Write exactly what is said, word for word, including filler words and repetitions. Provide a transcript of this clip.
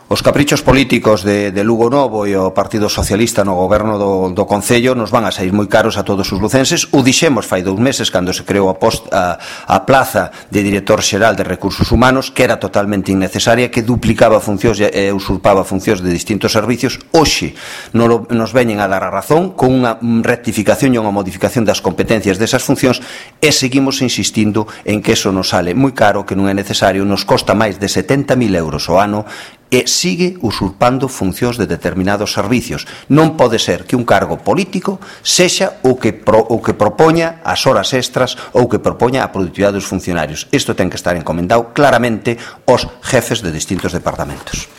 Os caprichos políticos de, de Lugo Novo e o Partido Socialista no goberno do, do Concello nos van a sair moi caros a todos os lucenses. O dixemos fai dous meses cando se creou a, post, a, a plaza de director xeral de Recursos Humanos, que era totalmente innecesaria, que duplicaba funcións e usurpaba funcións de distintos servicios. Hoxe nos veñen a dar a razón con unha rectificación e unha modificación das competencias desas funcións, e seguimos insistindo en que eso nos sale moi caro, que non é necesario, nos costa máis de setenta mil euros ao ano e sigue usurpando funcións de determinados servicios. Non pode ser que un cargo político sexa o que, pro, o que propoña as horas extras ou que propoña a productividade dos funcionarios. Isto ten que estar encomendado claramente aos jefes de distintos departamentos.